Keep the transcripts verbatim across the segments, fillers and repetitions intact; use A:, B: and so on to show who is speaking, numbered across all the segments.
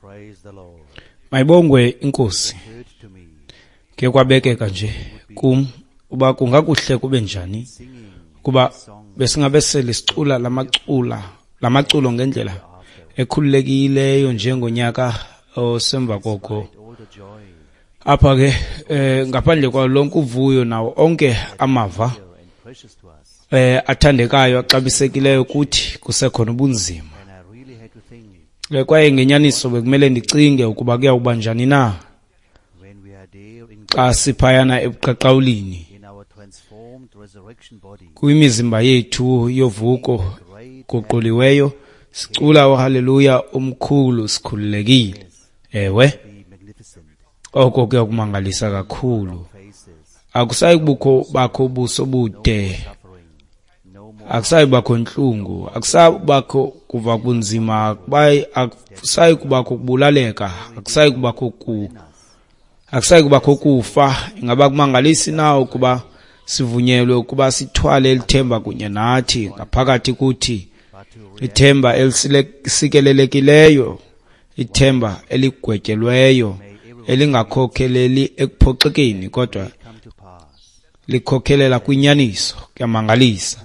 A: Praise the Lord.
B: Mayibongwe inkosi.
A: Occurred to me
B: Ke kwabekeka nje kum uba kungakuhle kube njani
A: singing
B: kuba
A: song
B: besingabe sele sicula lamacula lamaculo ngendlela ekhululekileyo njengonyaka osemva koko.
A: all the joy
B: Apha ke eh, ngaphandle kwawo lonke uvuyo nawo onke amava
A: and precious to us.
B: eh athandekayo axabisekileyo kuthi kusekhona ubunzima.
A: And I really had to think
B: Eh, Kwaye ngenyaniso bekumele ndicinge ukuba kuyawuba njani na
A: when we are there in
B: xa siphayana ebuqaqawulini
A: in our transformed resurrection body,
B: kwimizimba yethu yovuko
A: great
B: guquliweyo sicula uhaleluya omkhulu sikhululekile. Ewe,
A: be magnificent
B: oko kuyakumangalisa kakhulu.
A: faces,
B: Akusayi kubukho bakho ubuso bude,
A: suffering, no more
B: akusayi bakho ntlungu, akusayi bakho kuva kunzima, akubayi- akusayi kubakho kubulaleka, akusayi kubakho ku akusayi kubakho kufa. Ingaba kumangalisi na ukuba sivunyelwe ukuba sithwale elithemba kunye nathi ngaphakathi kuthi,
A: but to
B: ithemba elisikelelekileyo, ithemba eligwetyelweyo, elingakhokheleli ekuphoxekeni kodwa
A: come to pass.
B: likhokhelela kwinyaniso. Kuyamangalisa.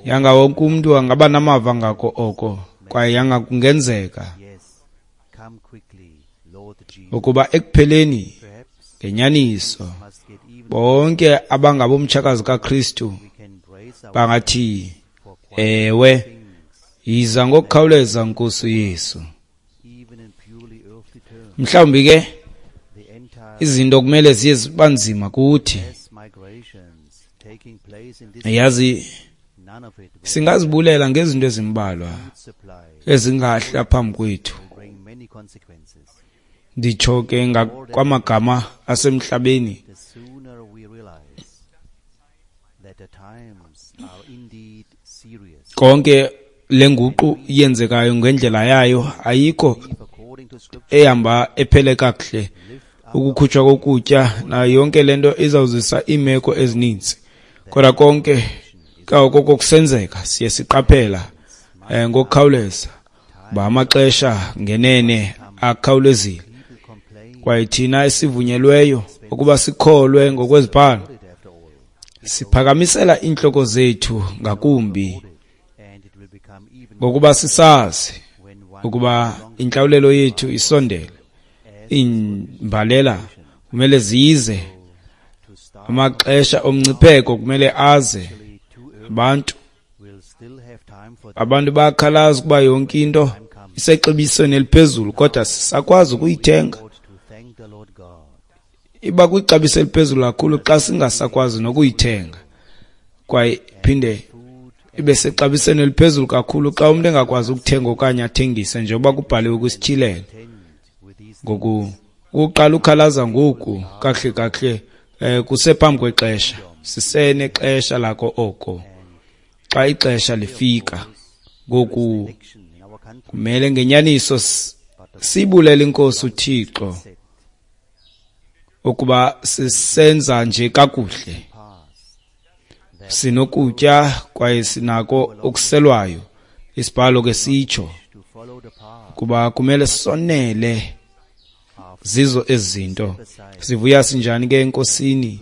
B: Yanga wonke umntu angaba namava ngako oko, kwaye yanga kungenzeka
A: Yes, come quickly, Lord Jesus.
B: ukuba ekupheleni
A: Perhaps
B: ngenyaniso
A: must get even
B: bonke abangabomtshakazi kaKristu
A: we can brace our
B: bangathi
A: for quite
B: ewe,
A: things,
B: yiza ngokukhawuleza Nkosi uYesu.
A: even in purely earthly terms.
B: Mhlawumbi ke
A: The entire
B: izinto kumele ziye ziba nzima kuthi.
A: mass migrations taking place in this
B: Yazi
A: none of it will
B: singazibulela ngezinto ezimbalwa
A: food supply
B: ezingahla phambi kwethu.
A: will bring many consequences.
B: Nditsho ke ngakwamagama asemhlabeni.
A: The sooner we realize that the times are indeed serious.
B: Konke lenguqu yenzekayo ngendlela yayo ayikho
A: If according to scripture
B: ehamba ephele kakuhle.
A: lift up
B: Ukukhutshwa kokutya nayo yonke lento izawuzisa iimeko ezininzi. Kodwa konke koko kusenzeka siye siqaphela eh, ngokukhawuleza ba amaxesha ngenene akhawulezile.
A: people complain
B: Kwaye thina esivunyelweyo ukuba sikholwe ngokwezibhalo
A: it after all
B: siphakamisela iintloko zethu ngakumbi
A: and it will become even
B: ngokuba sisazi
A: when one
B: ukuba intlawulelo yethu isondele. Iimbalela kumele zize,
A: to start
B: amaxesha omngcipheko kumele aze.
A: actually too early
B: Abantu
A: will still have time for
B: abantu bayakhalaza ukuba yonke into isexabisweni eliphezulu kodwa sisakwazi ukuyithenga.
A: Lord to thank the Lord God
B: Iba kwixabiso eliphezulu kakhulu xa singasakwazi nokuyithenga, kwaye iphinde
A: food
B: ibe sexabisweni eliphezulu kakhulu xa umntu engakwazi ukuthenga okanye athengise njengoba kubhaliwe kwisityhilelo.
A: tend with these
B: Ngoku ukuqala ukhalaza ngoku kakuhle kakuhle eh kusephambi kwexesha, sisenexesha lako oko. Xa ixesha lifika ngoku
A: election in our country
B: kumele ngenyaniso s- sibulele inkosi uThixo
A: set
B: ukuba sisenza nje kakuhle,
A: past
B: sinokutya kwaye sinako okuselwayo. Isibhalo ke sitsho
A: to follow the path
B: kuba kumele sonele zizo ezinto.
A: aside
B: Sivuya sinjani ke enkosini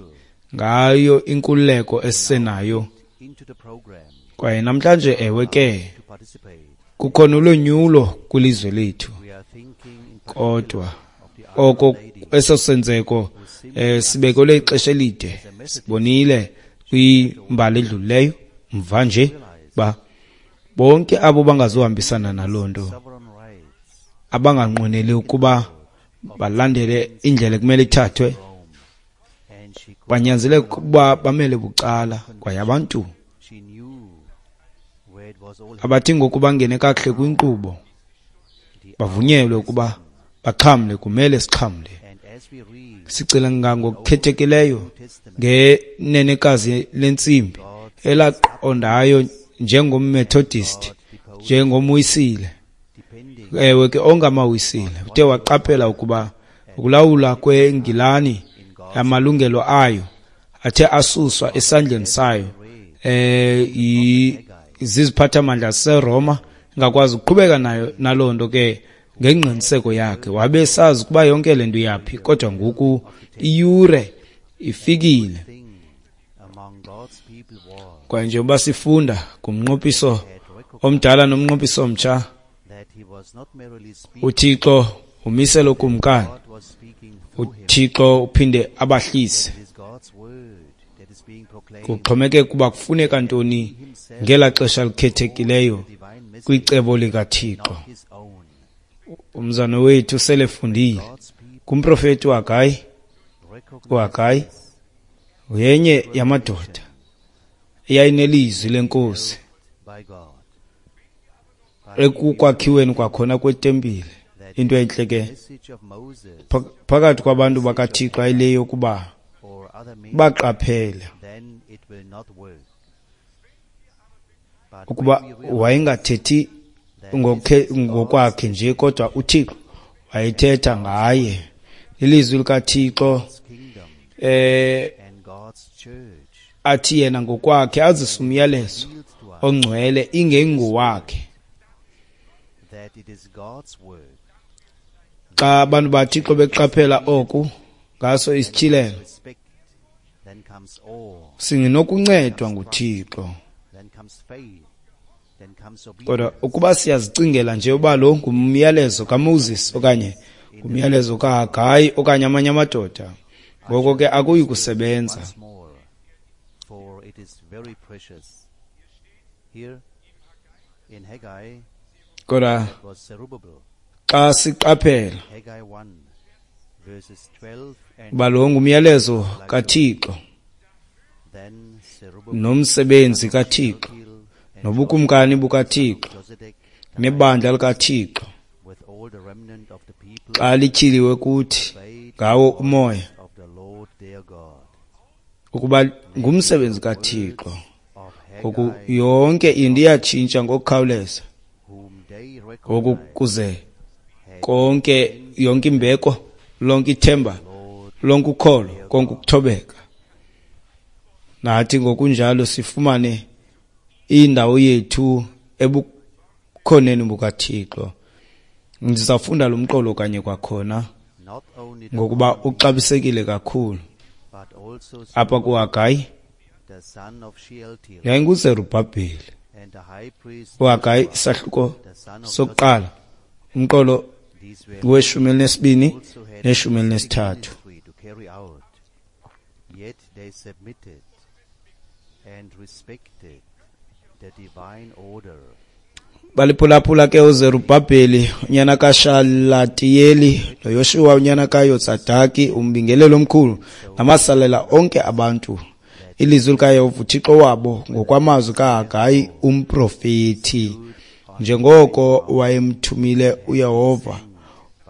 B: ngayo inkululeko esisenayo.
A: into the program
B: Kwaye namhlanje ewe ke
A: to participate.
B: kukhona ulonyulo kwilizwe lethu,
A: We are thinking in
B: kodwa
A: of the
B: oko
A: lady
B: eso senzeko eh sibekelwe ixesha elide. Sibonile kwimbali edlulileyo mva nje ba bonke abo bangazuhambisana naloo nto,
A: sovereign rights
B: abanganqweneli ukuba balandele indlela ekumele ithathwe,
A: Rome and she could,
B: banyanzeleka ukuba bamele bucala. Kwaye abantu
A: she knew where it was all
B: abathi ngoku bangene kakuhle kwinkqubo
A: the
B: bavunyelwe ukuba baxhamle, kumele sixhamle.
A: and as we read
B: Sicela ngokukhethekileyo
A: New Testament
B: ngenenekazi lentsimbi elaqondayo njengomMethodist, njengomWisile,
A: depending
B: ewe ke ongamaWisile, uthe waqaphela ukuba ukulawula kweNgilani amalungelo ayo athe asuswa esandleni sayo eh i- ziziphathamandla zaseRoma, ingakwazi ukuqhubeka nayo naloo nto ke Ngengqiniseko yakhe wabe sazi ukuba yonke le nto iyaphi, kodwa ngoku iyure ifikile. Kwaye njengoba sifunda kumnqophiso omdala nomnqophiso omtsha, uThixo umisela ukumkani, uThixo uphinde abahlise. Kuxhomekeke ukuba kufuneka ntoni ngela xesha likhethekileyo kwicebo likaThixo. Umzana wethu selefundile kumprofeti uHagayi. uHagayi yenye yamadoda eyayinelizwi lenkosi ekukwakhiweni kwakhona kwetempile. Into entle ke phakathi kwabantu bakaThixo ayileyo ukuba baqaphele ukuba wayengathethi ngokwakhe nje, kodwa uThixo wayethetha ngaye. Ilizwi likaThixo eh athi yena ngokwakhe azise umyalezo ongcwele ingengowakhe. Xa abantu baThixo beqaphela oku ngaso isityhilelo, singenokuncedwa nguThixo. Kodwa ukuba siyazicingela nje uba lo ngumyalezo kaMoses okanye ngumyalezo kaHagayi okanye amanye amadoda, ngoko ke akuyi kusebenza. Kodwa xa siqaphela uba lo ngumyalezo kaThixo nomsebenzi kaThixo nobukumkani bukaThixo nebandla likaThixo, xa lityhiliwe kuthi ngawo umoya ukuba ngumsebenzi kaThixo, ngoku yonke into iyatshintsha ngokukhawuleza. Ngoku kuze konke, yonke imbeko, lonke ithemba, lonke ukholo, konke ukuthobeka, nathi ngokunjalo sifumane indawo yethu ebukhoneni bukaThixo. Ndizawufunda lo mqolo kanye kwakhona ngokuba uxabisekile kakhulu. Apha kuHagayi yayinguZerubhabheli. uHagayi isahluko sokuqala, umqolo weshumi elinesibini neshumi elinesithathu. Baliphulaphula ke uZerubhabheli unyana kaShalatiyeli noYoshuwa unyana kaYotsadaki umbingeleli omkhulu namasalela onke abantu ilizwi likaYehova uThixo wabo ngokwamazwi kaHagayi umprofeti, njengoko wayemthumile uYehova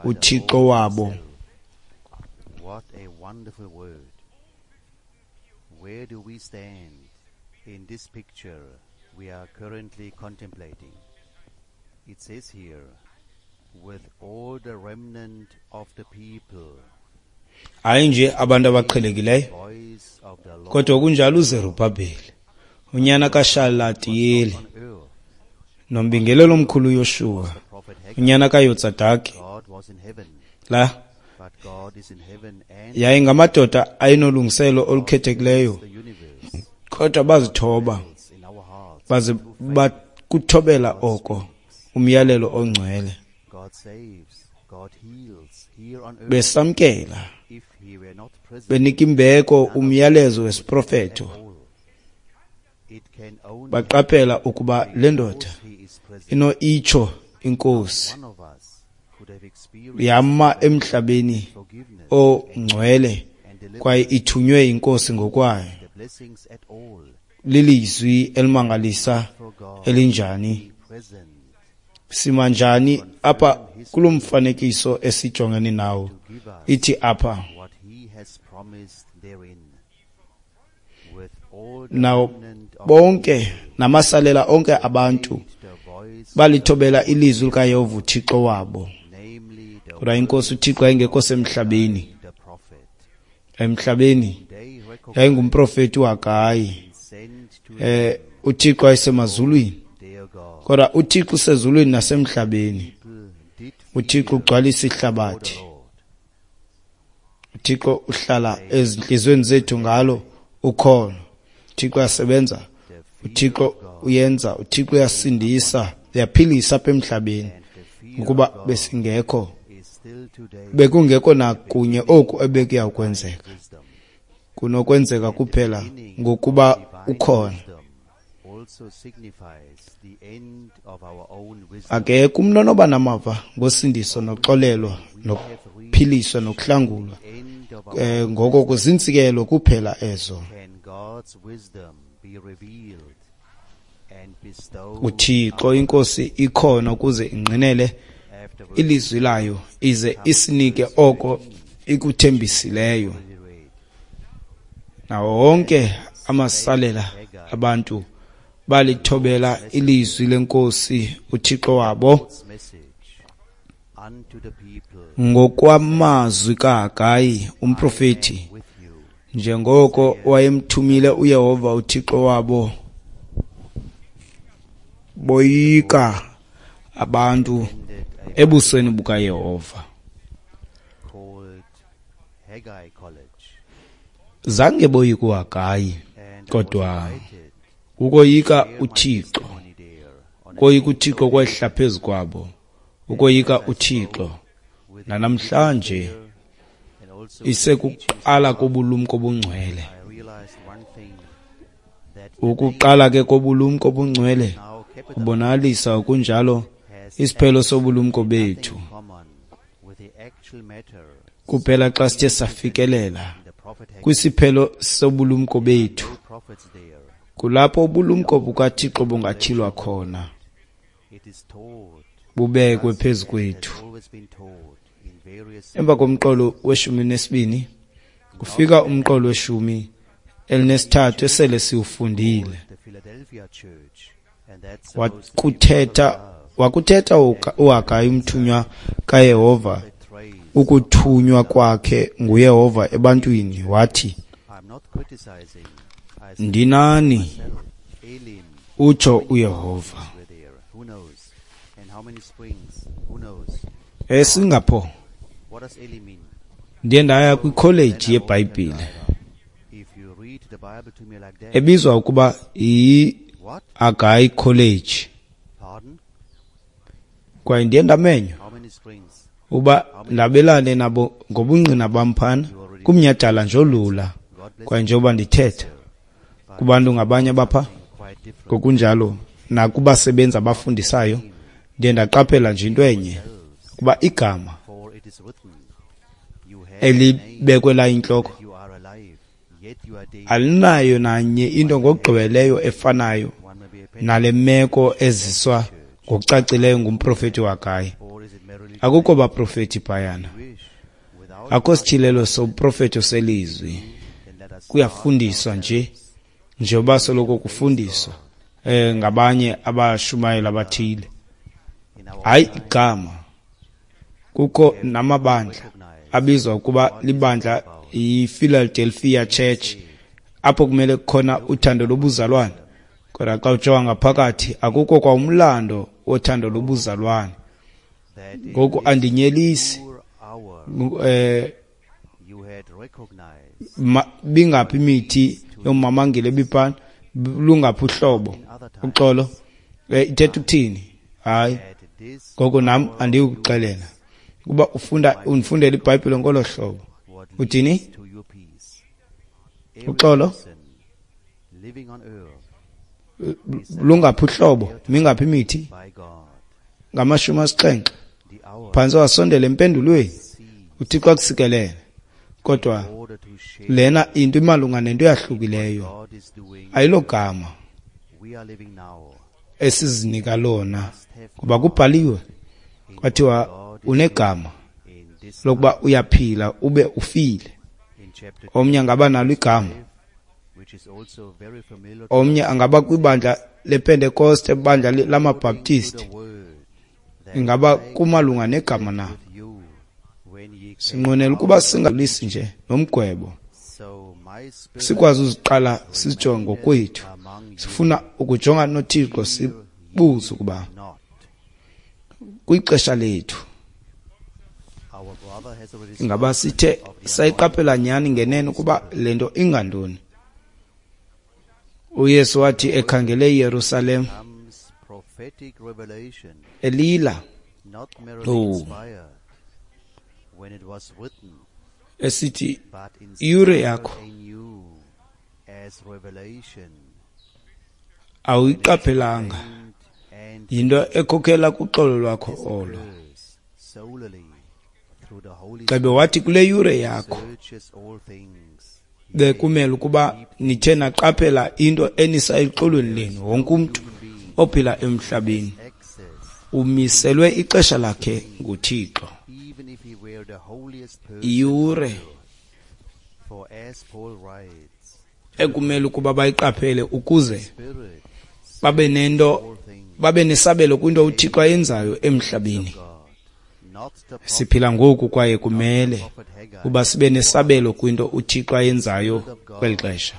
B: uThixo wabo.
A: What a wonderful word. Where do we stand in this picture we are currently contemplating? It says here, with all the remnant of the people.
B: Hayi nje abantu abaqhelekileyo, kodwa kunjalo uZerubhabheli unyana kaShalatiyeli nombingeleli omkhulu uYoshuwa unyana kaYotsadaki, la yayingamadoda ayinolungiselo olukhethekileyo, kodwa bazithoba baze bakuthobela oko umyalelo ongcwele, besamkela benika imbeko umyalezo wesiprofeto. Baqaphela ukuba le ndoda ino itsho inkosi yama emhlabeni ongcwele kwaye ithunywe inkosi ngokwayo. Lilizwi elimangalisa elinjani! Sima njani apha kulo mfanekiso esijongene nawo? Ithi apha nawo bonke namasalela onke abantu balithobela ilizwi likaYehova uThixo wabo. Kodwa inkosi uThixo yayingekho semhlabeni. Emhlabeni yayingumprofeti uHagayi. Eh uThixo wayesemazulwini, kodwa uThixo usezulwini nasemhlabeni. uThixo ugcwalisa ihlabathi. uThixo uhlala ezinhliziyweni zethu ngalo ukholo. uThixo uyasebenza, uThixo uyenza, uThixo uyasindisa, uyaphilisa apha emhlabeni. Ukuba besingekho, bekungekho nakunye oku ebekuya kwenzeka. Kunokwenzeka kuphela ngokuba ukhona. Akekho umntu onoba namava ngosindiso noxolelwa nokuphiliswa nokuhlangulwa. Eh ngoko kuzinsikelo kuphela ezo. uThixo inkosi ikhona ukuze ingqinele ilizwi layo ize isinike oko ikuthembisileyo. Nawo wonke amasalela abantu balithobela ilizwi lenkosi uThixo wabo ngokwamazwi kaHagayi umprofeti, njengoko wayemthumile uYehova uThixo wabo. Boyika abantu ebusweni bukaYehova. Zange boyike uHagayi, kodwa ukoyika uThixo, ukoyika uThixo kwehla phezu kwabo, ukoyika uThixo nanamhlanje isekuqala kobulumko obungcwele. Ukuqala ke kobulumko obungcwele kubonakalisa okunjalo isiphelo sobulumko bethu. Kuphela xa sithe safikelela kwisiphelo sobulumko bethu, kulapho ubulumko bukaThixo bungatyhilwa khona, bubekwe phezu kwethu. Emva komqolo weshumi nesibini kufika umqolo weshumi elinesithathu esele siwufundile. Wakuthetha wakuthetha uHagayi umthunywa kaYehova ukuthunywa kwakhe nguYehova ebantwini, wathi, ndinani, utsho uYehova. ESingapore ndiye ndaya kwikholeji yeBhayibhile ebizwa ukuba yi-Haggai College, kwaye ndiye ndamenywa uba ndabelane nabo ngobungqina bam phana kumnyhadala nje olula. Kwaye njengoba ndithetha kubantu ngabanye bapha, ngokunjalo nakubasebenzi abafundisayo, ndiye ndaqaphela nje into enye, kuba igama elibekwe la intloko alinayo nanye into ngokugqibeleyo efanayo nale meko eziswa ngokucacileyo ngumprofeti uHagayi. Akukho baprofeti phayana, akho sityhilelo soprofeto selizwi. Kuyafundiswa nje, njengoba soloko kufundiswa eh ngabanye abashumayeli abathile. Hayi igama. Kukho namabandla abizwa ukuba libandla iPhiladelphia Church, apho kumele kukhona uthando lobuzalwane, kodwa xa ujonga ngaphakathi akukho kwa umlando wothando lobuzalwane. Ngoku andinyelisi, eh bingaphi imithi yomamangile ebiphana, lungaphi uhlobo uxolo, ithetha ukuthini? Hayi, ngoko nam andiyukuxelela kuba ufunda undifundela iBhayibhile ngolo hlobo. Uthini? Uxolo lungaphi uhlobo, mingaphi imithi? Ngamashumi asixhenxe phantsi wasondela empendulweni. uThixo akusikelele. Kodwa lena into imalunga nento eyahlukileyo, ayilogama esizinika lona, kuba kubhaliwe kwathiwa unegama lokuba uyaphila ube ufile. Omnye angaba nalo igama, omnye angaba kwibandla lePentekoste, ibandla lamaBaptist, ingaba kumalunga negama na? Sinqwenela ukuba singalisi nje nomgwebo, sikwazi uziqala sizijonge ngokwethu. Sifuna ukujonga noThixo, sibuze ukuba kwixesha lethu Ingaba sithe sayiqaphela nyani ngenene ukuba le nto ingantoni? UYesu wathi ekhangele iYerusalem elila, oh, esithi iyure yakho awuyiqaphelanga, yinto ekhokhela kuxolo lwakho olo. Xebe wathi kule yure yakho bekumele ukuba nithe naqaphela into enisa exolweni lenu. Wonke umntu ophila emhlabeni umiselwe ixesha lakhe nguThixo. Iyure ekumele ukuba bayiqaphele ukuze babe nento, babe nesabelo kwinto uThixo ayenzayo emhlabeni. Siphila ngoku kwaye kumele uba sibe nesabelo kwinto uThixo ayenzayo kweli xesha.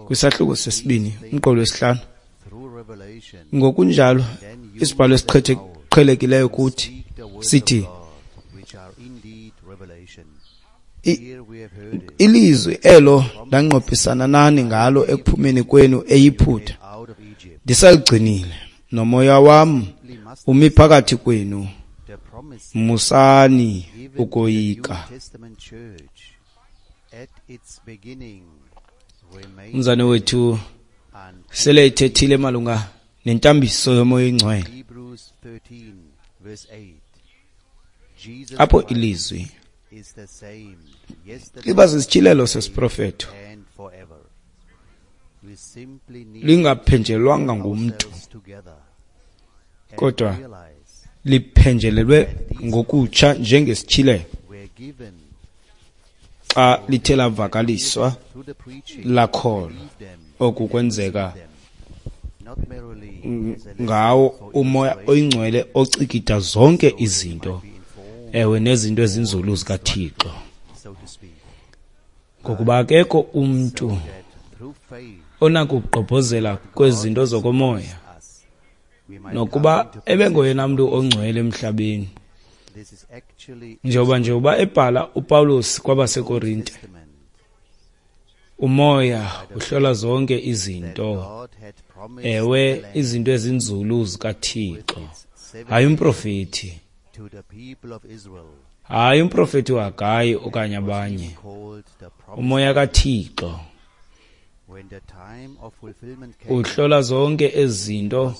B: Kwisahluko sesibini, umqolo wesihlanu. Ngokunjalo, isibhalo esiqhelekileyo kuthi sithi ilizwi elo ndanqophisana nani ngalo ekuphumeni kwenu eYiputa, ndisaligcinile, nomoya wam umi phakathi kwenu, musani ukoyika. Umzane wethu sele ethethile malunga nentambiso yomoya oyingcwele, apho ilizwi liba sisityhilelo sesiprofeto, lingaphenjelwanga ngumntu, kodwa liphenjelelwe ngokutsha njengesityhilelo xa lithe lavakaliswa lakholwa. Oku kwenzeka ngawo umoya oyingcwele ocikida zonke izinto, ewe, nezinto ezinzulu zikaThixo. Ngokuba akekho umntu onakugqobhozela kwezinto zokomoya, nokuba ebengoyena mntu ongcwele emhlabeni. Njengoba nje uba ebhala uPawulos kwabaseKorinte, umoya uhlola zonke izinto, ewe, izinto ezinzulu zikaThixo. Hayi umprofeti, hayi umprofeti uHagayi okanye abanye, umoya kaThixo uhlola zonke ezinto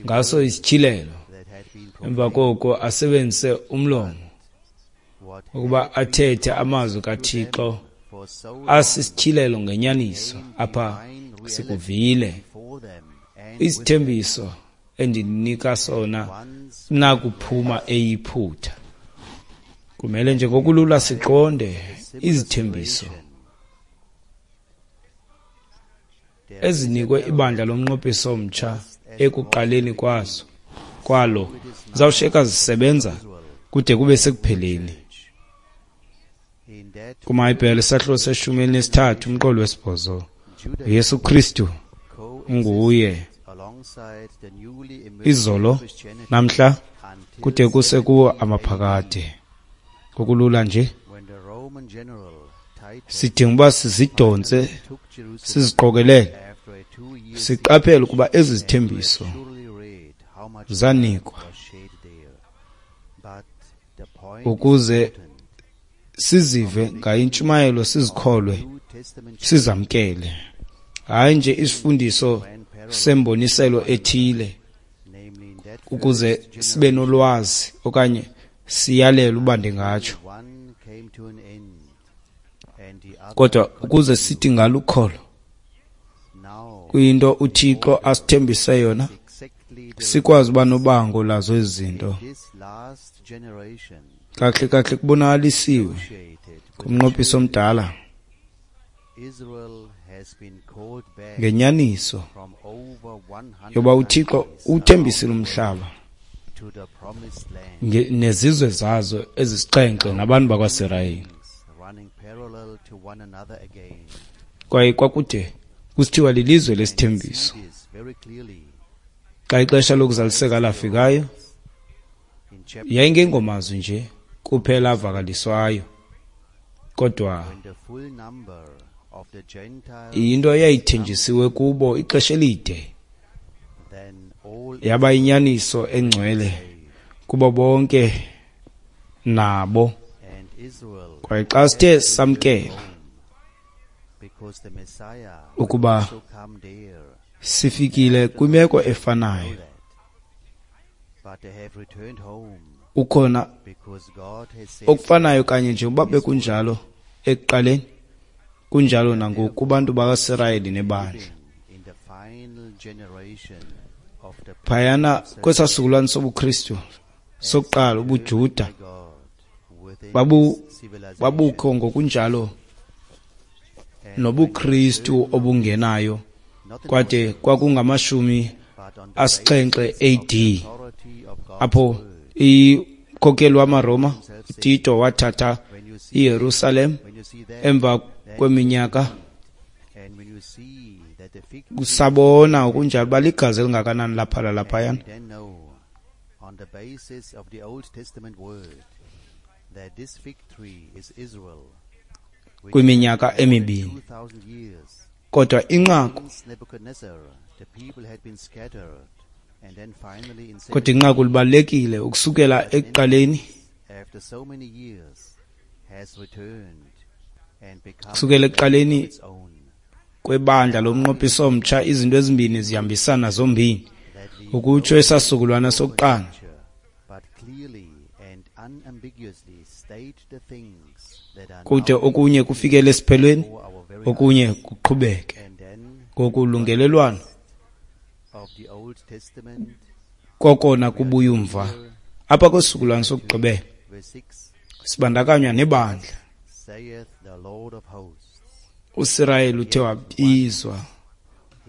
B: ngaso isityhilelo. Emva koko asebenzise umlomo ukuba athethe amazwi kaThixo asisityhilelo ngenyaniso. Apha sikuvile isithembiso endinika sona nakuphuma eYiputa. Kumele nje ngokulula siqonde izithembiso ezinikwe ibandla lomnqophiso omtsha ekuqaleni kwazo kwalo zawushiyeka zisebenza kude kube sekupheleni. KumaHebhere isahluko seshumi elinesithathu umqolo wesibhozo, uYesu Kristu unguye izolo, namhla, kude kuse kuwo amaphakade. Ngokulula nje sidinga uba sizidontse, siziqokelele, siqaphele ukuba ezi zithembiso zanikwa ukuze sizive ngayintshumayelo, sizikholwe, sizamkele. Hayi nje isifundiso semboniselo ethile ukuze sibe nolwazi okanye siyalele uba ndingatsho, kodwa ukuze sithi ngalukholo kwinto uThixo asithembise yona, sikwazi uba nobango lazo ezi zinto. Kahle kahle kubonakalisiwe kumnqophiso omdala ngenyaniso yoba uThixo uthembisile umhlaba nezizwe zazo ezisixhenxe nabantu bakwaSirayeli. Kwaye kwakude kusithiwa lilizwe lesithembiso. Xa ixesha lokuzaliseka lafikayo, yayingengomazwi nje, kuphela avakaliswayo, kodwa
A: When the full number of the Gentiles
B: yinto eyayithenjisiwe kubo ixesha elide,
A: then all
B: yaba yinyaniso engcwele kubo bonke nabo.
A: and Israel
B: Kwaye xa sithe samkela
A: because the Messiah will
B: ukuba
A: also come there
B: sifikile kwimeko efanayo,
A: that but they have returned home
B: ukhona
A: because God has said
B: okufanayo kanye njengoba bekunjalo ekuqaleni, kunjalo nangoku kubantu bakaSirayeli nebandla.
A: in the final generation of the
B: Phayana kwesaa sizukulwane sobuKristu sokuqala, ubuJuda
A: God within
B: babu
A: this civilization
B: babukho ngokunjalo nobuKristu obungenayo,
A: not in
B: kwade kwakungamashumi
A: but on the
B: asixhenxe A D
A: authority of God's
B: apho
A: word.
B: ikhokheli wamaRoma uTito wathatha
A: When you see
B: iYerusalem
A: when you see that
B: emva kweminyaka.
A: and when you see that the fig tree
B: Kusabona ukunjalo uba ligazi elingakanani laphala laphayana.
A: we then know on the basis of the Old Testament word that this fig tree is Israel which
B: Kwiminyaka
A: for more than
B: emibini.
A: two thousand years
B: Kodwa inqaku
A: since Nebuchadnezzar the people had been scattered and then finally in
B: kodwa inqaku libalulekile ukusukela ekuqaleni,
A: after so many years has returned and become
B: kusukela
A: a land of
B: ekuqaleni
A: its own
B: kwebandla lomnqophiso omtsha, izinto ezimbini zihambisana zombini,
A: that we
B: ukutsho esasizukulwana sokuqala,
A: scripture, but clearly and unambiguously state the things that are
B: kude
A: now
B: okunye kufikele esiphelweni,
A: before our very
B: okunye kuqhubeke
A: and then
B: ngokulungelelwano
A: of the Old Testament
B: kokona kubuya umva. Apha kwesizukulwana sokugqibela
A: verse six
B: sibandakanywa nebandla.
A: saith the Lord of hosts
B: uSirayeli uthe wabizwa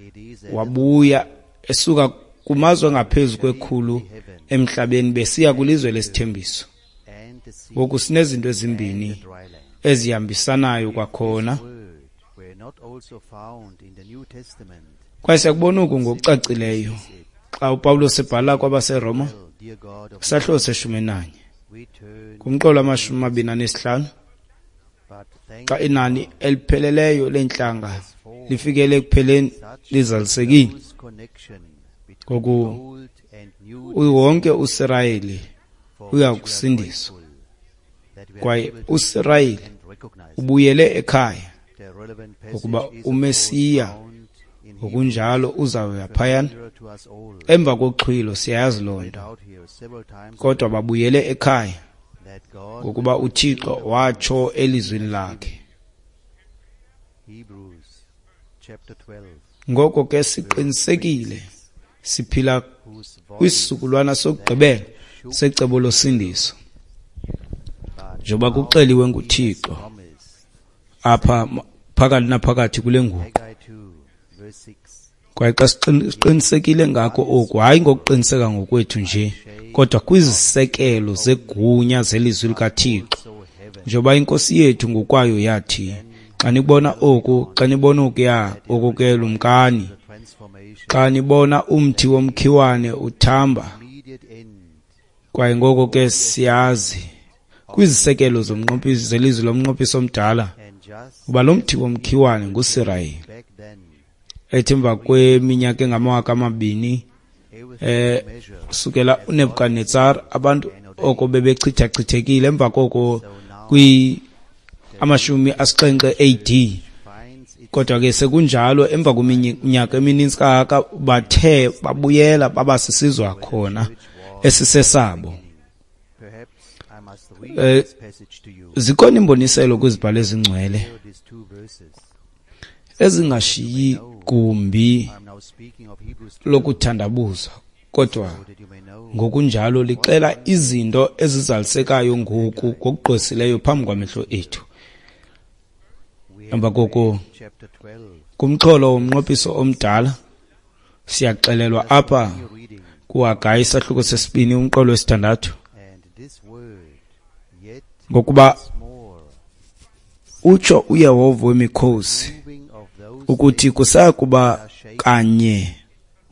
A: it is a
B: wabuya esuka kumazwe angaphezu kwekhulu emhlabeni besiya kwilizwe lesithembiso.
A: and the sea
B: Ngoku sinezinto
A: and
B: ezimbini
A: the dry land
B: ezihambisanayo kwakhona.
A: word were not also found in the New Testament
B: Kwaye siyakubona oku ngokucacileyo xa uPawulos ebhala kwabaseRoma
A: well dear God of
B: isahluko seshumi nanye
A: we turn
B: kumqolo wamashumi amabini anesihlanu,
A: but thank
B: xa inani elipheleleyo leentlanga lifikele ekupheleni lizalisekile.
A: close connection between
B: Ngoku
A: Old and New
B: wonke uSirayeli
A: for
B: uya
A: which we are
B: kusindiswa,
A: grateful that we are
B: kwaye
A: able to
B: uSirayeli
A: and recognize
B: ubuyele ekhaya
A: the relevant
B: ngokuba
A: passage is of course
B: uMesiya
A: found in
B: ngokunjalo uzawuya phayana
A: familiar to us all
B: emva koxhwilo, siyayazi loo
A: read
B: nto.
A: out here several times
B: Kodwa babuyele ekhaya
A: that God
B: ngokuba uThixo watsho elizwini lakhe.
A: Hebrews chapter twelve
B: Ngoko ke siqinisekile siphila
A: whose voice
B: kwisizukulwana sokugqibela secebo losindiso,
A: but
B: njengoba kuxeliwe nguThixo
A: promised
B: apha ma- phakathi naphakathi kule nguqu.
A: Haggai two verse six
B: Kwaye xa siqin- siqinisekile ngako oku, hayi ngokuqiniseka ngokwethu nje, kodwa kwizisekelo zegunya zelizwi likaThixo,
A: so heaven
B: njengoba inkosi yethu ngokwayo yathi, xa nibona oku, xa nibona okuya, oku ke lumkani,
A: the transformation
B: xa nibona umthi womkhiwane uthamba.
A: immediate end
B: Kwaye ngoko ke siyazi kwizisekelo zomnqophiso zelizwi lomnqophiso omdala
A: and just
B: uba lo mthi womkhiwane nguSirayeli,
A: back then
B: ethi emva kweminyaka engamawaka amabini
A: everything
B: eh
A: measured
B: kusukela uNebukadnezar, abantu oko bebechithachithekile emva koko kwi amashumi asixhenxe A D,
A: finds it
B: kodwa ke sekunjalo emva kweminyaka emininzi kangaka bathe babuyela baba sisizwe khona esisesabo.
A: perhaps I must read
B: Eh,
A: this passage to you
B: Zikhona imboniselo kwizibhalo ezingcwele
A: here these two verses
B: ezingashiyi gumbi
A: I'm now speaking of Hebrews twelve
B: lokuthandabuza, kodwa
A: so that you may know
B: ngokunjalo lixela izinto ezizalisekayo ngoku ngokugqwesileyo phambi kwamehlo ethu.
A: we have
B: Emva koko
A: chapter twelve
B: kumxholo womnqophiso omdala siyaxelelwa apha
A: reading
B: kuHagayi isahluko sesibini umqolo wesithandathu,
A: and this word yet
B: ngokuba
A: more
B: utsho uYehova wemikhosi
A: moving of those
B: ukuthi kusaya kuba kanye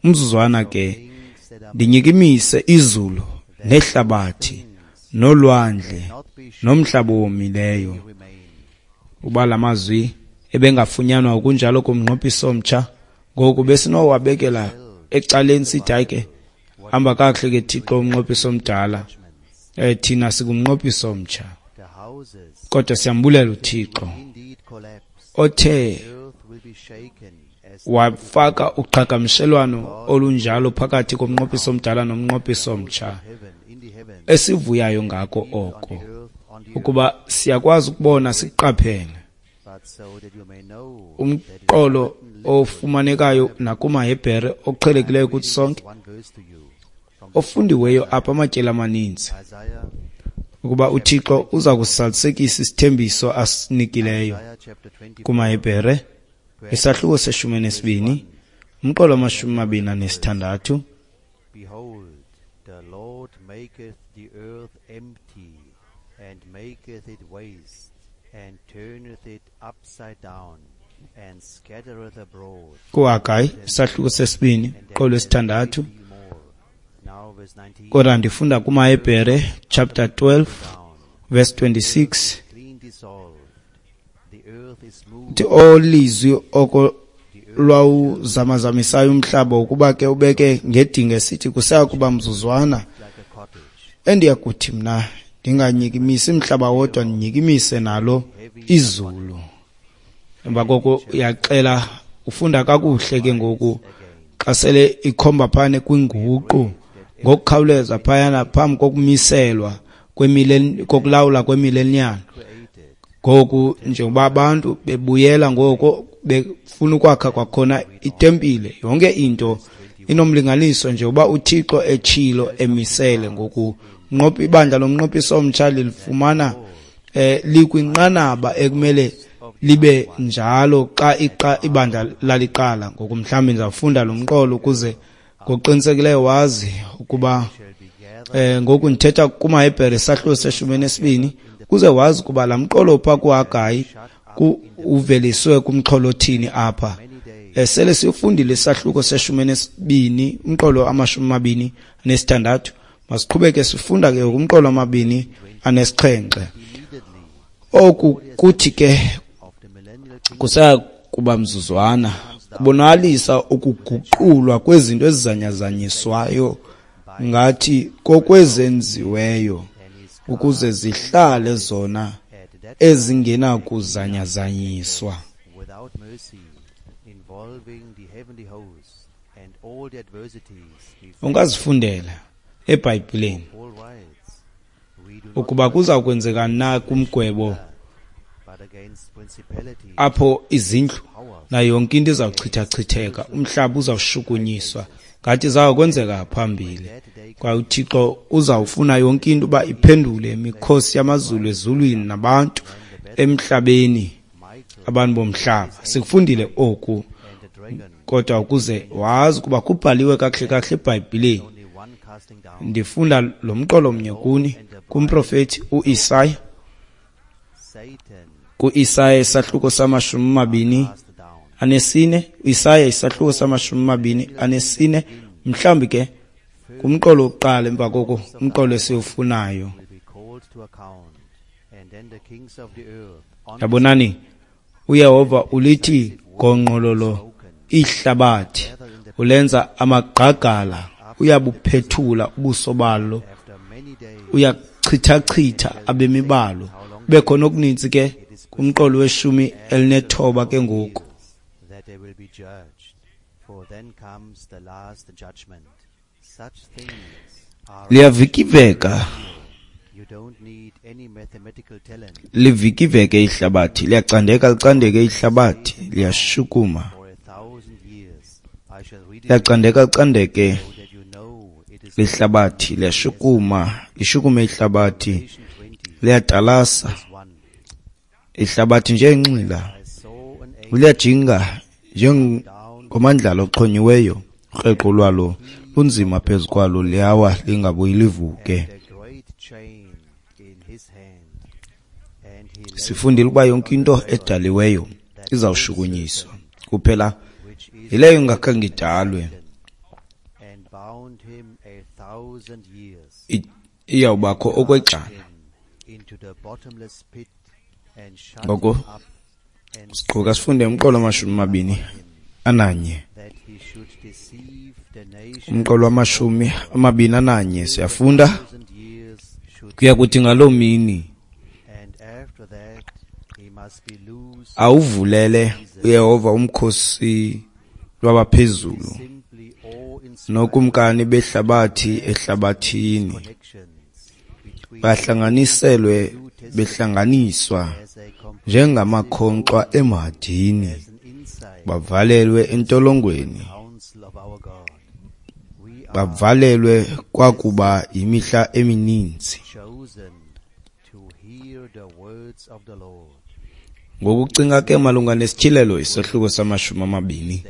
B: umzuzwana ke
A: things that are
B: ndinyikimise izulu nehlabathi nolwandle nomhlaba owomileyo. Uba la mazwi ebengafunyanwa kunjalo kumnqophiso omtsha, ngoku besinowabekela ecaleni sithi hayi ke, hamba kakuhle ke Thixo umnqophiso omdala, eh thina sikumnqophiso omtsha. Kodwa siyambulela uThixo othe wafaka uqhagamshelwano olunjalo phakathi komnqophiso omdala nomnqophiso omtsha, esivuyayo ngako oko, ukuba siyakwazi ukubona siqaphele umqolo ofumanekayo nakumaHebhere oqhelekileyo kuthi sonke, ofundiweyo apha amatyeli amaninzi, ukuba uThixo uza kusalisekisa isithembiso asinikileyo kumaHebhere isahluko seshumi nesibini umqolo wamashumi amabini anesithandathu.
A: Behold, the Lord maketh the earth empty, and maketh it waste, and turneth it upside down, and scattereth abroad.
B: KuHagayi isahluko sesibini umqolo wesithandathu. Kodwa ndifunda kumaHebhere chapter twelve verse twenty-six. Uthi olizwi oko lwawuzamazamisayo umhlaba ukuba ke ubeke ngedinga esithi kusaya kuba mzuzwana, endiyakuthi mna ndinganyikimisi umhlaba wodwa, ndinyikimise nalo izulu. Emva koko uyaxela, ufunda kakuhle ke ngoku xa sele ikhomba phane kwinguqu ngokukhawuleza phayana phambi kokumiselwa kokulawula kwemillennium. Ngoku njengoba abantu bebuyela ngoko befuna ukwakha kwakhona itempile, yonke into inomlinganiso njengoba uThixo etshilo emisele. Ngoku nqophi ibandla lomnqophiso omtsha lilifumana eh likwinqanaba ekumele libe njalo xa iqa ibandla laliqala. Ngoku mhlawumbi ndizawufunda lo mqolo ukuze ngokuqinisekileyo wazi ukuba eh ngoku ndithetha kumaHebhere isahluko seshumi nesibini, kuze wazi ukuba la mqolo pha kuHagayi uveliswe kumxholo othini apha. Sele sifundile isahluko seshumi nesibini umqolo amashumi amabini anesithandathu, masiqhubeke sifunda ke kumqolo amabini anesixhenxe. Oku kuthi ke kusaya kuba mzuzwana kubonakalisa ukuguqulwa kwezinto ezizanyazanyiswayo ngathi kokwezenziweyo ukuze zihlale zona ezingenakuzanyazanyiswa. Ungazifundela eBhayibhileni ukuba kuza kwenzeka na kumgwebo apho izindlu nayo yonke into izawuchithachitheka, umhlaba uzawushukunyiswa, ngathi zawukwenzeka phambili. Kwaye uThixo uzawufuna yonke into uba iphendule imikhosi yamazulu ezulwini nabantu emhlabeni, abantu bomhlaba. Sikufundile oku, kodwa ukuze wazi ukuba kubhaliwe kakuhle kakuhle eBhayibhileni, ndifunda lo mqolo mnye kuni kumprofethi uIsaya, kuIsaya isahluko samashumi amabini anesine, uIsaya isahluko samashumi amabini anesine, mhlawumbi ke kumqolo wokuqala emva koko umqolo esiwufunayo. Yabonani, uYehova ulithi gongqololo ihlabathi, ulenza amagqagala, uyabuphethula ubuso balo, uyachithachitha abemi balo. Kube khona okuninzi ke kumqolo weshumi elinethoba ke ngoku. Liyavikiveka, livikiveke ihlabathi, liyacandeka licandeke ihlabathi, liyashukuma, liyacandeka licandeke lihlabathi, liyashukuma, lishukume ihlabathi, liyatalasa ihlabathi njengenxila, liyajinga njengomandlalo oxhonyiweyo, ukreqo lwalo lunzima phezu kwalo, liyawa lingabuyi livuke. Sifundile ukuba yonke into edaliweyo izawushukunyiswa, kuphela yileyo ingakhange idalwe. Iyawubakho okwexana. Ngoko siqhuka sifunde umqolo wamashumi amabini ananye. Umqolo wamashumi amabini ananye siyafunda. Kuya kuthi ngaloo mini awuvulele uYehova umkhosi lwabaphezulu nokumkani behlabathi ehlabathini, bahlanganiselwe behlanganiswa njengamakhonkxwa emhadini, bavalelwe entolongweni, bavalelwe kwakuba yimihla emininzi. Ngokucinga ke malunga nesityhilelo isahluko samashumi amabini,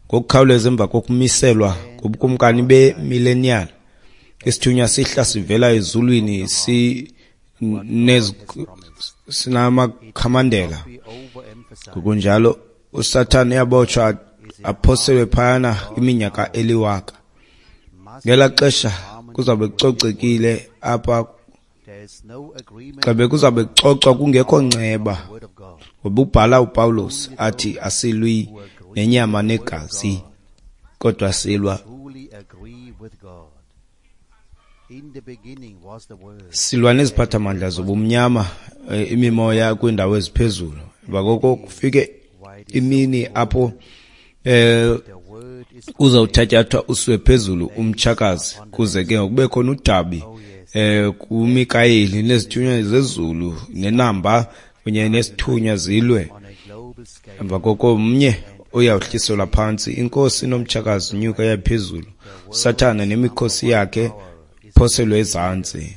B: ngokukhawuleza emva kokumiselwa kobukumkani bemillennial, isithunywa sihla sivela ezulwini sinamakhamandela. Ngokunjalo uSathane uyabotshwa aphoselwe phayana iminyaka eliwaka. Ngelaa xesha kuzawube kucocekile apha, xa bekuzawube kucocwa kungekho nceba, ngoba ubhala uPawulos athi asilwi nenyama negazi, kodwa silwa silwa neziphathamandla zobumnyama, imimoya kwiindawo eziphezulu. Emva koko kufike imini apho eh uzawuthatyathwa usiwe phezulu umtshakazi, kuze ke kube khona udabi eh kuMikayeli nezithunywa zezulu nenamba kunye nesithunywa zilwe. Emva koko mnye uyawuhliselwa phantsi, inkosi nomtshakazi nyuka yaphezulu, Sathana nemikhosi yakhe phoselwe ezantsi.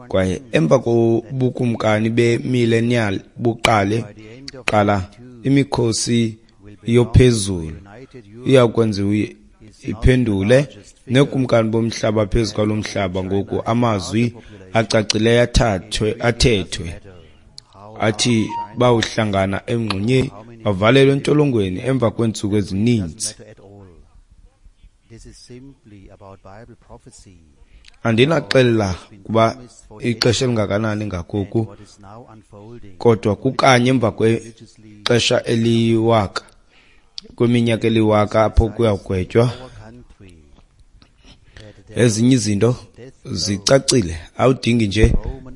B: Kwaye emva kobukumkani bemillennial buqale qala imikhosi yophezulu iyakwenziwa iphendule nekumkani bomhlaba phezu kwalo mhlaba. Ngoku amazwi acacileyo athathwe athethwe athi bawuhlangana emngxunyeni bavalelwe entolongweni emva kweentsuku ezininzi. Andinaxelela kuba ixesha elingakanani ngakoku, kodwa kukanye emva kwexesha eliwaka, kweminyaka eliwaka apho kuyawugwetywa. Ezinye izinto zicacile, awudingi nje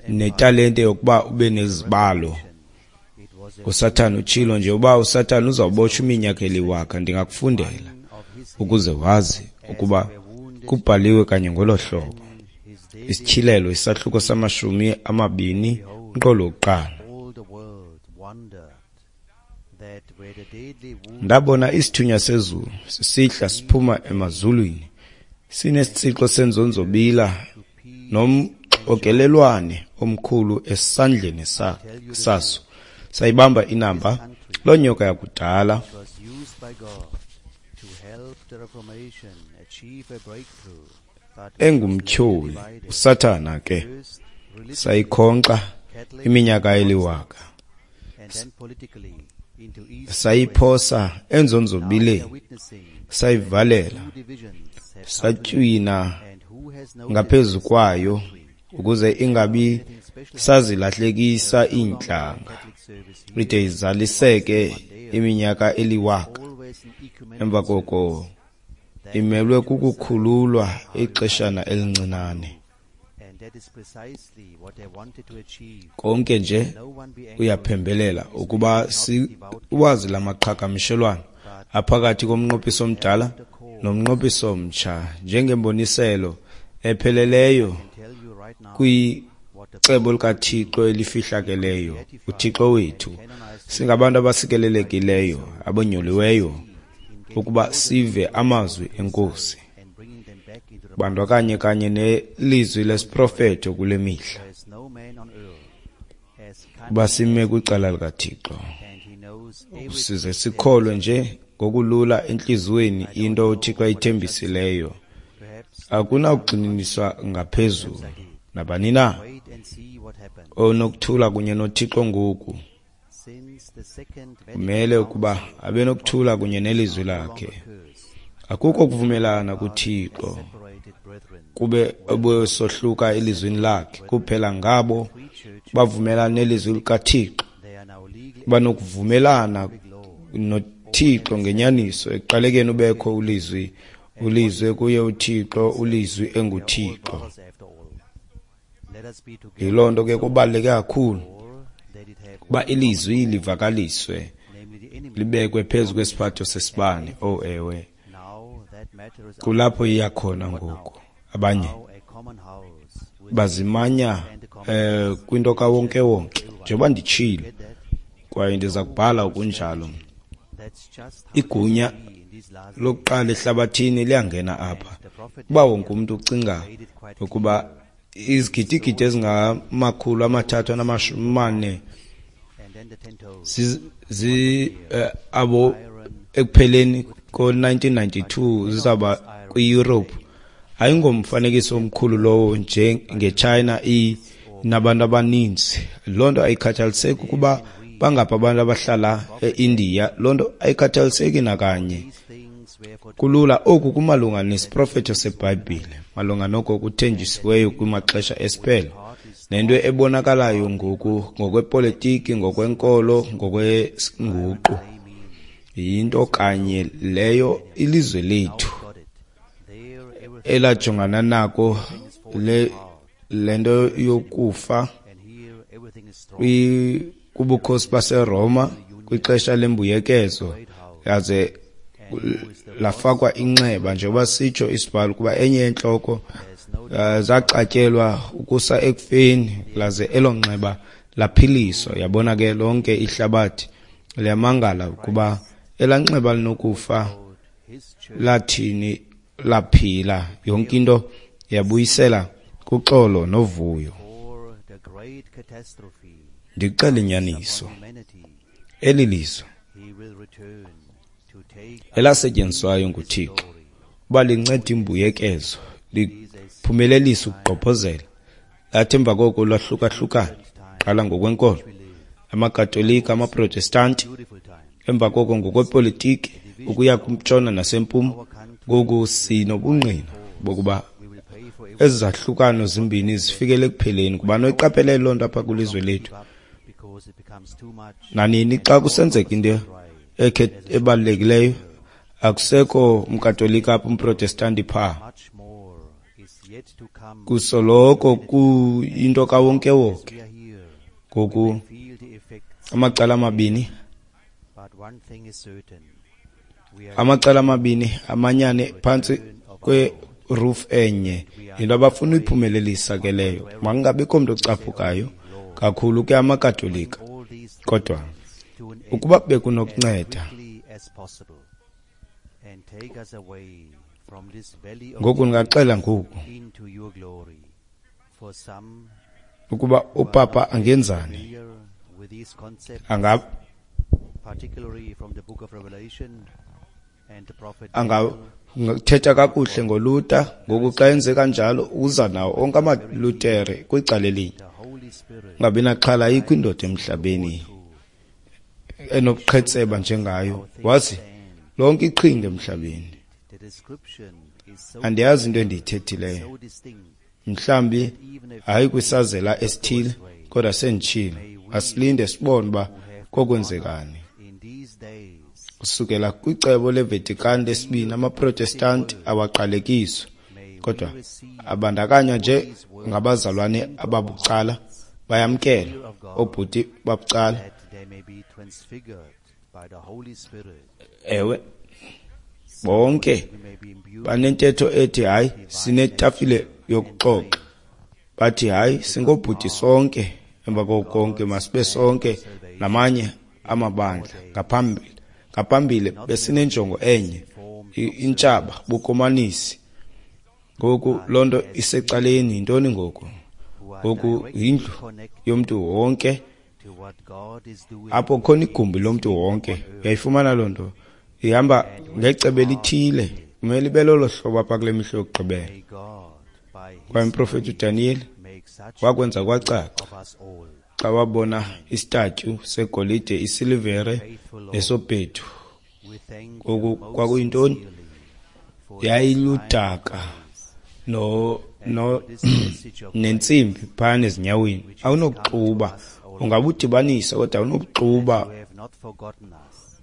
B: netalente yokuba ube nezibalo. uSathana utshilo nje uba uSathana uzawubotshwa iminyaka eliwaka. Ndingakufundela ukuze wazi ukuba kubhaliwe kanye ngolo hlobo. Isityhilelo isahluko samashumi amabini umqolo wokuqala. Ndabona isithunywa sezulu sisihla siphuma emazulwini, sinesitsixo senzonzobila nomxokelelwane omkhulu esandleni saso. Sayibamba inamba loo nyoka yakudala, engumtyholi uSathana ke, sayikhonkxa iminyaka eliwaka, sayiphosa enzonzobileni, sayivalela, satywina ngaphezu kwayo ukuze ingabi sazilahlekisa iintlanga, ide izaliseke iminyaka eliwaka. Emva koko imelwe kukukhululwa ixeshana elincinane. Konke nje uyaphembelela ukuba siwazi lamaqhagamshelwano aphakathi komnqophiso omdala nomnqophiso omtsha njengemboniselo epheleleyo kwicebo likaThixo elifihlakeleyo. uThixo wethu, singabantu abasikelelekileyo abonyuliweyo ukuba sive amazwi eNkosi, bandakanye kanye nelizwi lesiprofeto kule mihla, kuba sime kwicala likaThixo, size sikholwe nje ngokulula entliziyweni into uThixo ayithembisileyo. Akunakugxininiswa ngaphezulu. Nabani na onokuthula kunye noThixo ngoku kumele ukuba abe nokuthula kunye nelizwi lakhe. Akukho kuvumelana kuThixo kube obesohluka elizwini lakhe. Kuphela ngabo bavumelana nelizwi likaThixo banokuvumelana noThixo ngenyaniso. Ekuqalekeni ubekho ulizwi, ulizwi kuye uThixo, ulizwi enguThixo. Yiloo nto ke kubaluleke kakhulu ukuba ilizwi livakaliswe, libekwe phezu kwesiphatho sesibane. Oh ewe, kulapho iya khona ngoku. Abanye bazimanya eh kwinto kawonke-wonke, njengoba nditshilo, kwaye ndiza kubhala okunjalo. Igunya lokuqala ehlabathini liyangena apha. Uba wonke umntu ucinga ukuba izigidigidi ezingamakhulu amathathu anamashumi amane zi abo ekupheleni ko nineteen ninety-two zizaba kwi-Europe, ayingomfanekiso omkhulu lowo njengeChina inabantu abaninzi. Loo nto ayikhathaliseki ukuba bangaphi abantu abahlala eIndia, loo nto ayikhathaliseki nakanye. Kulula oku kumalunga nesiprofeto seBhayibhile, malunga noko kuthenjisiweyo kumaxesha esiphelo, nento ebonakalayo ngoku ngokwepolitiki, ngokwenkolo, ngokwenguqu. Yinto kanye leyo ilizwe lethu elajongana nako le lento yokufa kubukhosi baseRoma kwixesha lembuyekezo, yaze lafakwa inxeba, njengoba sitsho isibhalo kuba enye yentloko zaxatyelwa ukusa ekufeni, laze elo nxeba laphiliswa. Yabona ke lonke ihlabathi liyamangala ukuba elanxeba linokufa lathini laphila. Yonke into yabuyisela kuxolo novuyo. Ndixela inyaniso, eli lizwe elasetyenziswayo nguThixo uba linceda imbuyekezo, liphumelelisa ukugqobhozela, lathi emva koko lwahlukahlukana, qala ngokwenkolo, amaKatolika, amaProtestanti, emva koko ngokwepolitiki ukuya kumtshona nasempuma. Ngoku sinobungqina bokuba ezi zahlukano zimbini zifikele ekupheleni. Kuba noyiqaphele loo nto apha kwilizwe lethu. Nanini xa kusenzeka into ekhe ebalulekileyo, akusekho umKatolika apha, umProtestanti phaa. Kusoloko kuyinto kawonkewonke. Ngoku amacala amabini, amacala amabini amanyane phantsi kweroof enye. Yinto abafuna uyiphumelelisa ke leyo. Makungabikho mntu ocaphukayo kakhulu ke amaKatolika, kodwa ukuba bekunokunceda ngoku, ndingaxela ngoku ukuba upapa angenzani, anga angathetha kakuhle ngoLuther. Ngoku xa enze kanjalo uza nawo onke amaLutere kwicala elinye. Ungabi naxhala, ayikho indoda emhlabeni enobuqhetseba njengayo. Wazi lonke iqhinga emhlabeni. Andiyazi into endiyithethileyo, mhlawumbi hayi kwisazela esithile, kodwa senditshilo. Asilinde sibone uba kokwenzekani. Kusukela kwicebo leVatican lesibini, amaProtestanti awaqalekiswa, kodwa abandakanywa nje ngabazalwane ababucala, bayamkela oobhuti babucala. Ewe, bonke banentetho ethi hayi sinetafile yokuxoxa, bathi hayi singobhuti sonke, emva koko konke masibe sonke namanye amabandla. Ngaphambili ngaphambili besinenjongo enye, intshaba bukomanisi. Ngoku loo nto isecaleni. Yintoni ngoku? Ngoku yindlu yomntu wonke, apho khona igumbi lomntu wonke. Uyayifumana loo nto, ihamba ngecebo elithile, kumele ibe lolo hlobo apha kule mihla yokugqibela. Kwaye umprofethi uDaniyeli wakwenza kwacaca xa wabona isitatyu segolide, isilivere nesobhedu. Ngoku kwakuyintoni? Yayiludaka no no nentsimbi phana ezinyaweni, awunokuxuba. Ungabudibanisa kodwa awunokuxuba.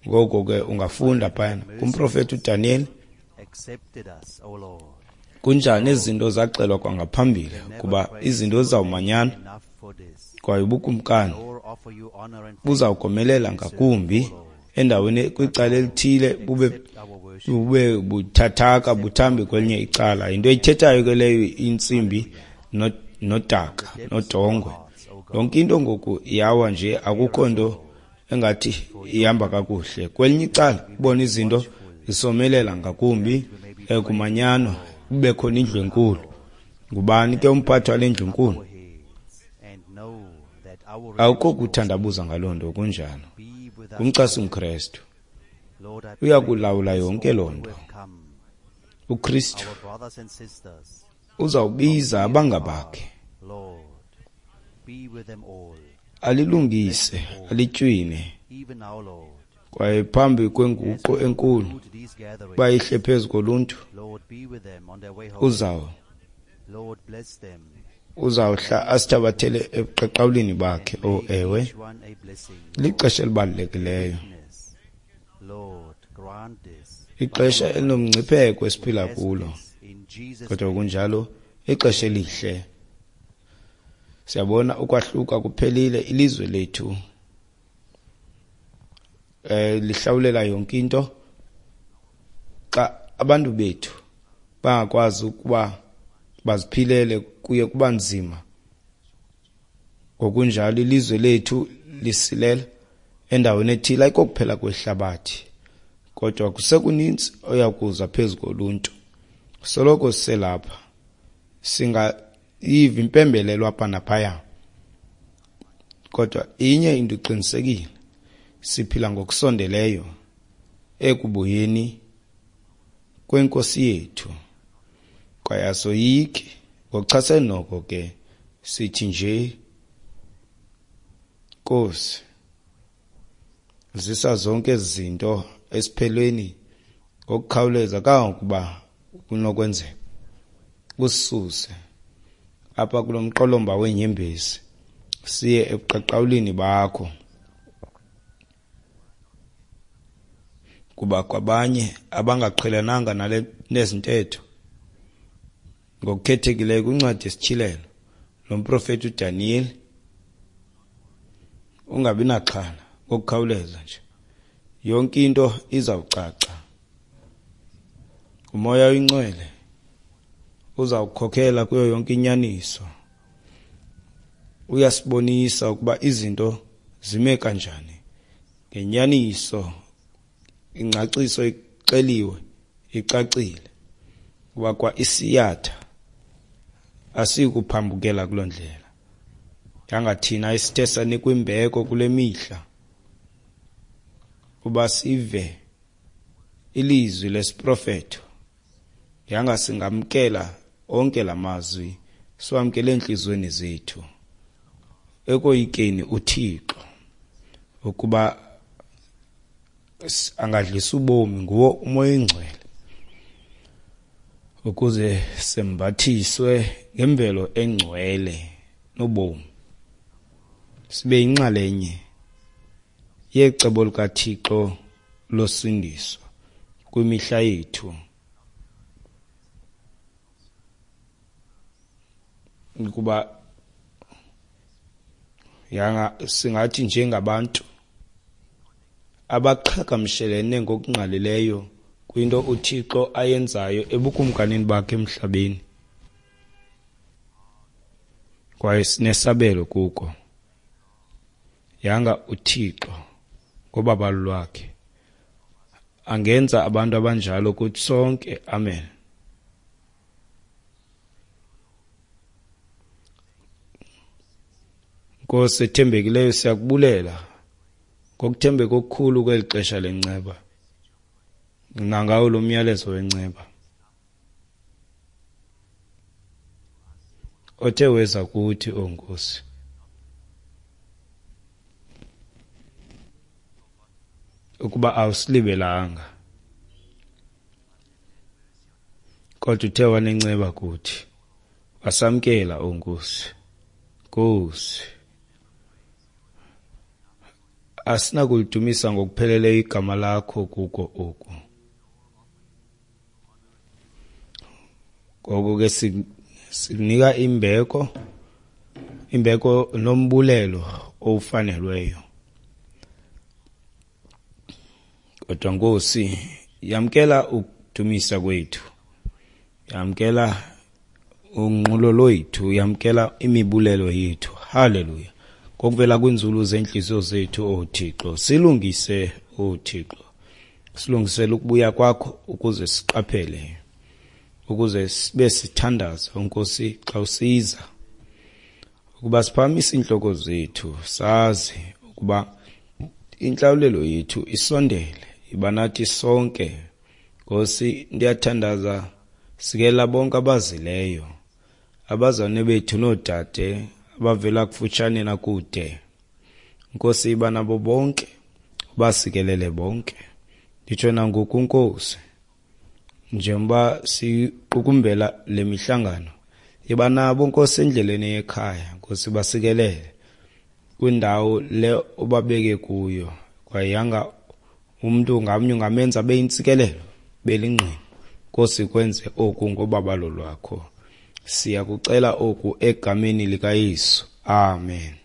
B: Ngoko ke ungafunda phana kumprofeti uDaniel kunjani izinto zaxelwa kwangaphambili kuba izinto zizawumanyana kwaye ubukumkani buzawukomelela ngakumbi endaweni kwicala elithile bube bube buthathaka buthambe kwelinye icala. Into eyithethayo ke leyo intsimbi nodaka nodongwe, yonke into ngoku iyawa nje, akukho nto engathi ihamba kakuhle. Kwelinye icala ubona izinto zisomelela ngakumbi kumanyano, kube khona indlu enkulu. Ngubani ke umphathi wale ndlu enkulu? Akukho kuthandabuza ngaloo nto, kunjalo. Ngumchasi umKrestu uyakulawula yonke loo nto. UKristu uzawubiza abangabakhe, alilungise, alitywine, kwaye phambi kwenguqu enkulu bayihle phezu koluntu, uzaw uzawuhla asithabathele ebuqaqawulini bakhe. O ewe, lixesha elibalulekileyo, ixesha elinomngcipheko esiphila kulo, kodwa kunjalo ixesha elihle. Siyabona ukwahluka kuphelile, ilizwe lethu eh lihlawulela yonke into. Xa abantu bethu bangakwazi ukuba baziphilele kuye kuba nzima. Ngokunjalo ilizwe lethu lisilela endaweni ethile, ayikokuphela kwehlabathi, kodwa kusekuninzi oyakuza phezu koluntu. Soloko siselapha, singayiva impembelelo apha naphaya, kodwa inye into iqinisekile, siphila ngokusondeleyo ekubuyeni kwenkosi yethu. Kwaye asoyiki ngokuchasene noko ke, sithi nje, Nkosi, zisa zonke ezi zinto esiphelweni ngokukhawuleza kangangokuba kunokwenzeka, usisuse apha kulo mqolomba weenyembezi siye ebuqaqawulini bakho. Kuba kwabanye abangaqhelananga nale nezintetho, ngokukhethekileyo kwincwadi yesityhilelo lo mprofeti uDaniel, ungabi naxhala, ngokukhawuleza nje yonke into izawucaca. Umoya oyingcwele uzawukhokhela kuyo yonke inyaniso, uyasibonisa ukuba izinto zime kanjani ngenyaniso. Ingcaciso ixeliwe, icacile, kuba kwa isiyatha asikuphambukela kuloo ndlela. Yangathina isithe sanikwa imbeko kule mihla uba sive ilizwi lesiprofeto, yanga singamkela onke la mazwi, siwamkele entliziyweni zethu ekoyikeni uThixo, ukuba angadlisa ubomi nguwo umoya oyingcwele, ukuze sembathiswe ngemvelo engcwele nobomi, sibe yinxalenye yecebo likaThixo losindiso kwimihla yethu. Ukuba yanga singathi njengabantu abaqhagamshelene ngokungqalileyo kwinto uThixo ayenzayo ebukumkanini bakhe emhlabeni, kwaye sinesabelo kuko. Yanga uThixo ngobabalo lwakhe angenza abantu abanjalo kuthi sonke. Amen. Nkosi ethembekileyo, siyakubulela ngokuthembeka okukhulu kweli xesha lenceba, nangawo lo myalezo wenceba othe weza kuthi, o Nkosi. Ukuba awusilibelanga, kodwa uthe wanenceba kuthi, Asamkela, o Nkosi. Nkosi, asinakulidumisa ngokupheleleyo igama lakho kuko oku. Ngoko ke sikunika imbeko, imbeko nombulelo owufanelweyo. Kodwa Nkosi, yamkela ukudumisa kwethu, yamkela unqulo lwethu, yamkela imibulelo yethu. Haleluya. Ngokuvela kwinzulu zentliziyo zethu, o Thixo, silungise, o Thixo, silungisele ukubuya kwakho, ukuze siqaphele, ukuze sibe sithandaza, Nkosi, xa usiza, ukuba siphakamise iintloko zethu, sazi ukuba intlawulelo yethu isondele. Iba nathi sonke, Nkosi. Ndiyathandaza, sikela bonke abazileyo, abazalwane bethu noodade abavela kufutshane nakude. Nkosi, iba nabo bonke, ubasikelele bonke. Nditsho nangoku, Nkosi, njengoba siqukumbela le mihlangano, iba nabo, Nkosi, endleleni ekhaya. Nkosi, basikelele kwindawo le obabeke kuyo, kwaye yanga umntu ngamnye ungamenza abe yintsikelelo, belingqina. Nkosi, kwenze oku ngobabalo lwakho. Siyakucela oku egameni likaYesu. Amen.